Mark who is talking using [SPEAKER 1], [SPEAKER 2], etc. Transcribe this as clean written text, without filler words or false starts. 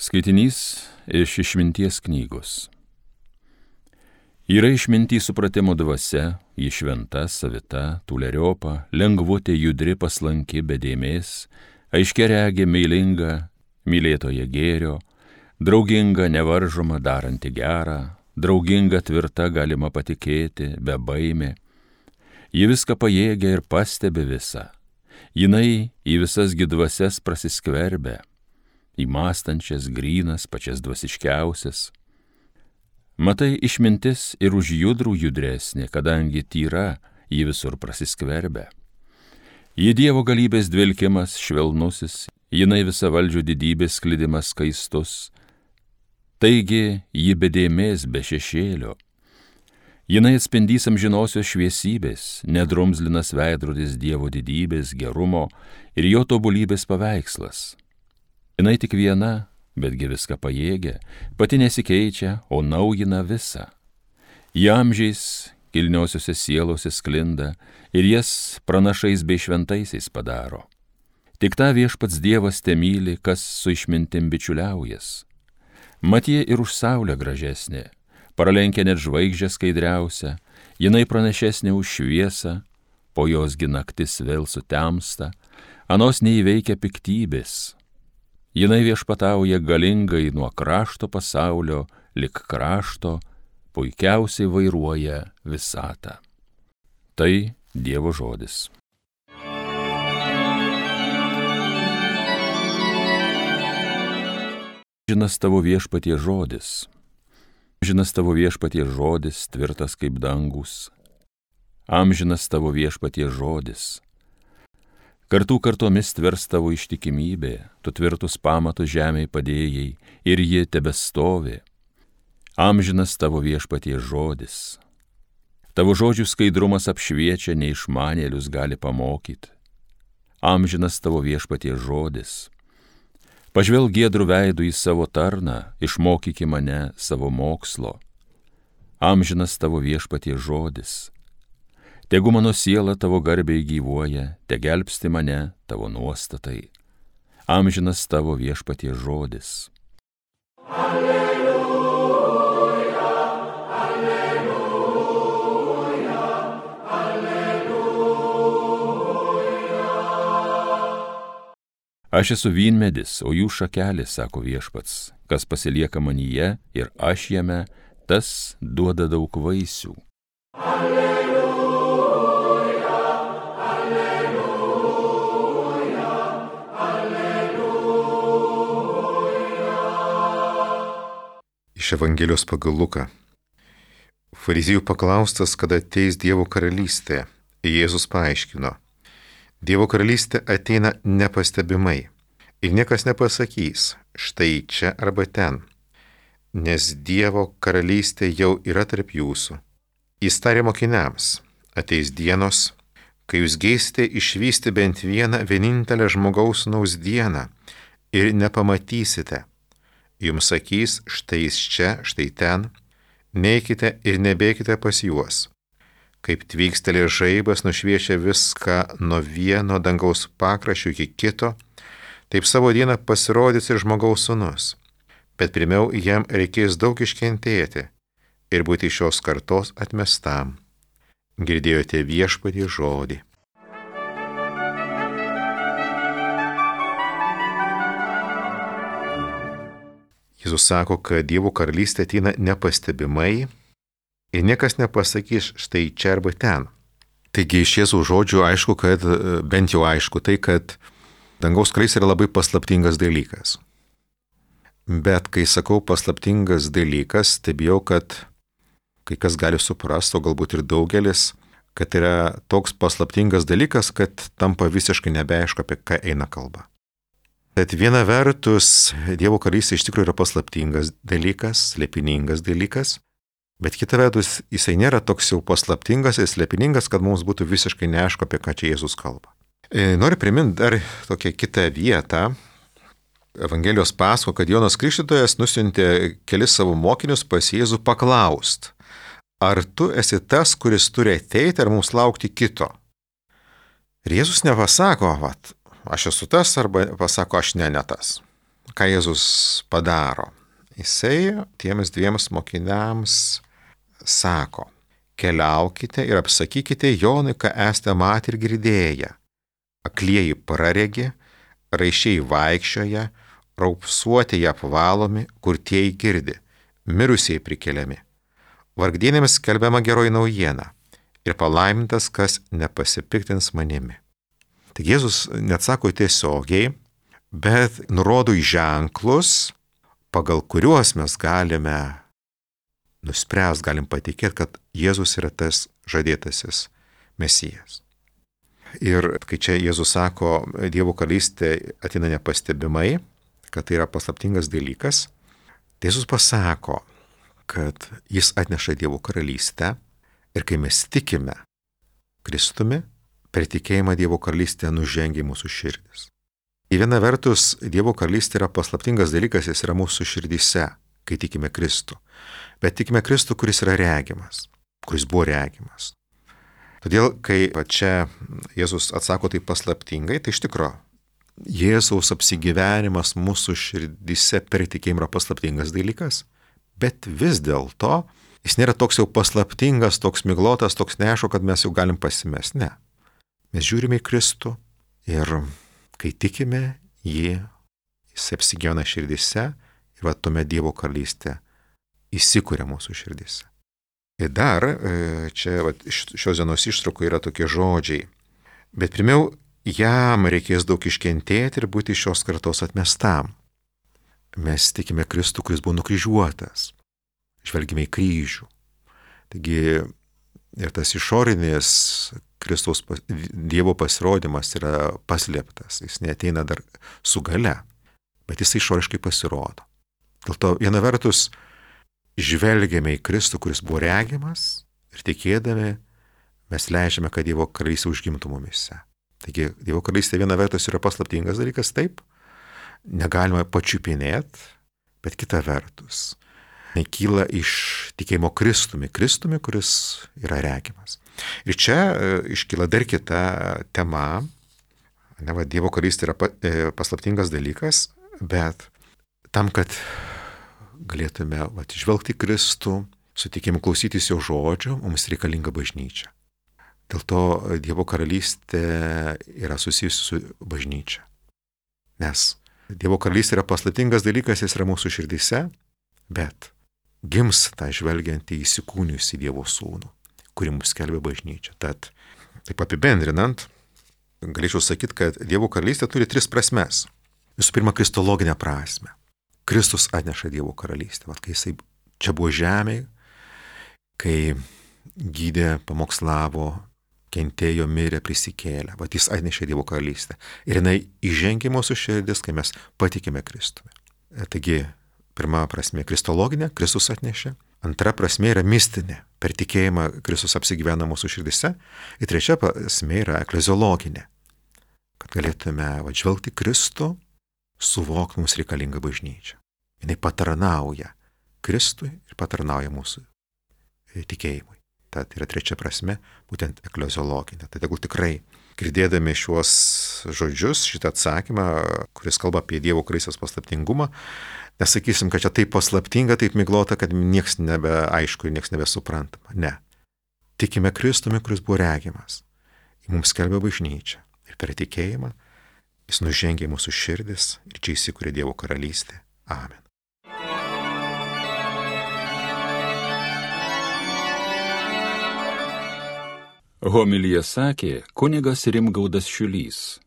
[SPEAKER 1] Skaitinys iš Išminties knygos. Yra išminty supratimo dvasia, ji šventa, savita, tūleriopa, lengvutė, judri, paslanki, be dėmės, aiškiaregė, meilinga, mylėtoja gėrio, drauginga, nevaržoma, daranti gerą, drauginga, tvirta, galima patikėti, be baimė. Ji viską pajėgia ir pastebi visą. Jinai į visas dvasias prasiskverbia, į mąstančias, grynas, pačias dvasiškiausias. Matai, išmintis ir už judrų judresnė, kadangi tyra, ji visur prasiskverbia. Ji Dievo galybės dvelkimas švelnusis, jinai visa valdžių didybės sklidimas skaistus. Taigi, ji be dėmės, be šešėlio. Jinai atspindys amžinosios šviesybės, nedrumzlinas veidrodis Dievo didybės, gerumo ir jo tobulybės paveikslas. Jinai tik viena, betgi viską pajėgia, pati nesikeičia, o naujina visą. Ji amžiais kilniosiuose sielose sklinda ir jas pranašais bei šventaisiais padaro. Tik tą viešpats Dievas temyli, kas su išmintim bičiuliaujas. Mat ji ir už saulę gražesnė, pralenkia net žvaigždžią skaidriausią, jinai pranašesnė už šviesą, po josgi naktis vėl sutemsta, anos neįveikia piktybės. Jinai viešpatauja galingai nuo krašto pasaulio lik krašto, puikiausiai vairuoja visatą. Tai Dievo žodis. Amžinas tavo viešpaties žodis. Amžinas tavo viešpaties žodis, tvirtas kaip dangus. Amžinas tavo viešpaties žodis. Kartų kartomis tvers tavo ištikimybė, tu tvirtus pamatus žemėj padėjai ir ji tebestovi. Amžinas tavo viešpaties žodis. Tavo žodžių skaidrumas apšviečia, neišmanėlius gali pamokyti. Amžinas tavo viešpaties žodis. Pažvelk giedrų veidų į savo tarną, išmokyki mane savo mokslo. Amžinas tavo viešpaties žodis. Tegu mano siela tavo garbiai gyvuoja, te gelbsti mane tavo nuostatai. Amžinas tavo viešpaties žodis. Alleluja, alleluja, alleluja. Aš esu vynmedis, o jų šakelės, sako viešpats, kas pasilieka manyje ir aš jame, tas duoda daug vaisių. Alleluja.
[SPEAKER 2] Iš Evangelijos pagal Luką. Fariziejų paklaustas, kada ateis Dievo karalystė, Jėzus paaiškino: Dievo karalystė ateina nepastebimai ir niekas nepasakys, štai čia arba ten, nes Dievo karalystė jau yra tarp jūsų. Jis tarė mokiniams: ateis dienos, kai jūs geisite išvysti bent vienintelę žmogaus sūnaus dieną ir nepamatysite. Jums sakys, štai jis čia, štai ten, neikite ir nebėkite pas juos. Kaip tvykstelė žaibas nušviečia viską nuo vieno dangaus pakraščių iki kito, taip savo dieną pasirodys ir žmogaus sūnus. Bet pirmiau jam reikės daug iškentėti ir būti šios kartos atmestam. Girdėjote viešpaties žodį. Jėzus sako, kad Dievo karalystė ateina nepastebimai ir niekas nepasakys štai čia arba ten. Taigi iš Jėzaus žodžių aišku, kad bent jau aišku tai, kad dangaus karalystė yra labai paslaptingas dalykas. Bet kai sakau paslaptingas dalykas, tai bijau, kad kai kas gali suprasti, o galbūt ir daugelis, kad yra toks paslaptingas dalykas, kad tampa visiškai nebeaišku, apie ką eina kalba. Tad viena vertus, Dievo karalystė iš tikrųjų yra paslaptingas dalykas, slėpiningas dalykas, bet kita vertus, jisai nėra toks jau paslaptingas ir slėpiningas, kad mums būtų visiškai neaišku, apie ką čia Jėzus kalba. Noriu priminti dar tokią kitą vietą. Evangelijos pasako, kad Jonas Krikštytojas nusiuntė kelis savo mokinius pas Jėzų paklaust: ar tu esi tas, kuris turi ateiti, ar mums laukti kito? Ir Jėzus nepasako, aš esu tas, arba pasako, aš ne tas. ką Jėzus padaro? Jisai tiems dviems mokiniams sako, keliaukite ir apsakykite Jonui, ką esate matę ir girdėję. Aklieji praregi, raiščiai vaikščioja, raupsuotieji apvalomi, kurtieji girdi, mirusieji prikeliami. Vargdienėms skelbiama geroji naujiena ir palaimintas, kas nepasipiktins manimi. Tik Jėzus neatsako tiesiogiai, bet nurodo į ženklus, pagal kuriuos mes galime nuspręs, galim patikėti, kad Jėzus yra tas žadėtasis Mesijas. Ir kai čia Jėzus sako, Dievo karalystė ateina nepastebimai, kad tai yra paslaptingas dalykas, tai Jėzus pasako, kad jis atneša Dievo karalystę ir kai mes tikime Kristumi, per tikėjimą Dievo karalystė nužengia mūsų širdis. Į vieną vertus, Dievo karalystė yra paslaptingas dalykas, jis yra mūsų širdyse, kai tikime Kristų. Bet tikime Kristų, kuris yra regimas, kuris buvo regimas. Todėl, kai čia Jėzus atsako taip paslaptingai, tai iš tikro Jėzaus apsigyvenimas mūsų širdyse per tikėjimą yra paslaptingas dalykas, bet vis dėlto jis nėra toks jau paslaptingas, toks miglotas, toks neaišku, kad mes jau galim pasimesti. Ne. Mes žiūrime į Kristų ir kai tikime jį, jis apsigyvena širdyse ir va tuomet Dievo karalystė įsikuria mūsų širdise. Ir dar čia šios dienos ištraukų yra tokie žodžiai. Bet pirmiau, jam reikės daug iškentėti ir būti šios kartos atmestam. Mes tikime Kristų, kuris buvo nukryžiuotas. Žvelgime į kryžių. Taigi ir tas išorinis Kristaus Dievo pasirodymas yra paslėptas. Jis neateina dar su gale, bet jis išoriškai pasirodo. Dėl to viena vertus žvelgiame į Kristų, kuris buvo regimas ir tikėdami mes leidžiame, kad Dievo karalystė užgimtų mumise. Taigi Dievo karalystė viena vertus yra paslaptingas dalykas, taip, negalima pačiupinėti, bet kita vertus kyla iš tikėjimo Kristumi, kuris yra regimas. Ir čia iškyla dar kita tema, Dievo karalystė yra paslaptingas dalykas, bet tam, kad galėtume žvelgti Kristų, su tikėjimu klausytis jo žodžio, mums reikalinga bažnyčia. Dėl to Dievo karalystė yra susijusi su bažnyčia. Nes Dievo karalystė yra paslaptingas dalykas, jis yra mūsų širdyse, bet gims tą žvelgiantį įsikūnijusį Dievo sūnų, kurį mums skelbia bažnyčia. Tad, taip apibendrinant, galėčiau sakyti, kad Dievo karalystė turi 3 prasmes. Visų pirma, kristologinę prasmę. Kristus atneša Dievo karalystę. Kai jisai čia buvo žemėje, kai gydė, pamokslavo, kentėjo, mirė, prisikėlė. Jis atnešė Dievo karalystę. Ir jinai įžengė mūsų širdis, kai mes patikime Kristumi. Taigi, pirma prasmė kristologinė, Kristus atnešė. Antra prasmė yra mistinė, per tikėjimą Kristus apsigyvena mūsų širdise. Ir trečia prasmė yra ekleziologinė, kad galėtume žvelgti Kristų, suvokti mums reikalingą bažnyčią. Jinai patarnauja Kristui ir patarnauja mūsų tikėjimui. Tad yra trečia prasme, būtent ekleziologinė. Tai tegul tikrai, girdėdami šiuos žodžius, šitą atsakymą, kuris kalba apie Dievo karalystės paslaptingumą, nesakysim, kad čia taip paslaptinga, taip miglota, kad nieks nebeaišku ir nieks nebesuprantama. Ne. Tikime Kristumi, kuris buvo regimas. Jis mums skelbia bažnyčią. Ir per tikėjimą jis nužengia mūsų širdis ir čia įsikuria Dievo karalystė. Amen.
[SPEAKER 1] Homiliją sakė kunigas Rimgaudas Šiulys.